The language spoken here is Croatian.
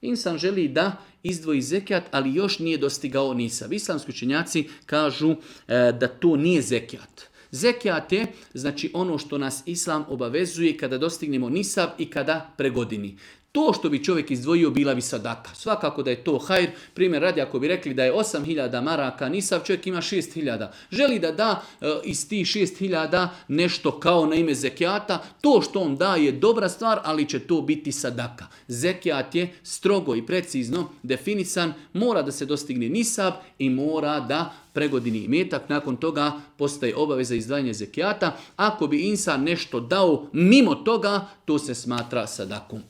Insan želi da izdvoji zekijat, ali još nije dostigao nisab. Islamski učenjaci kažu da to nije zekijat. Zekijat je znači ono što nas Islam obavezuje kada dostignemo nisab i kada pregodini. To što bi čovjek izdvojio bila bi sadaka. Svakako da je to hajr. Primjer radi, ako bi rekli da je 8.000 maraka nisab, čovjek ima 6.000. Želi da da iz tih 6.000 nešto kao na ime zekijata. To što on da je dobra stvar, ali će to biti sadaka. Zekijat je strogo i precizno definisan. Mora da se dostigne nisab i mora da pregodini imetak. Nakon toga postaje obaveza izdvajanja zekijata. Ako bi insan nešto dao mimo toga, to se smatra sadakom.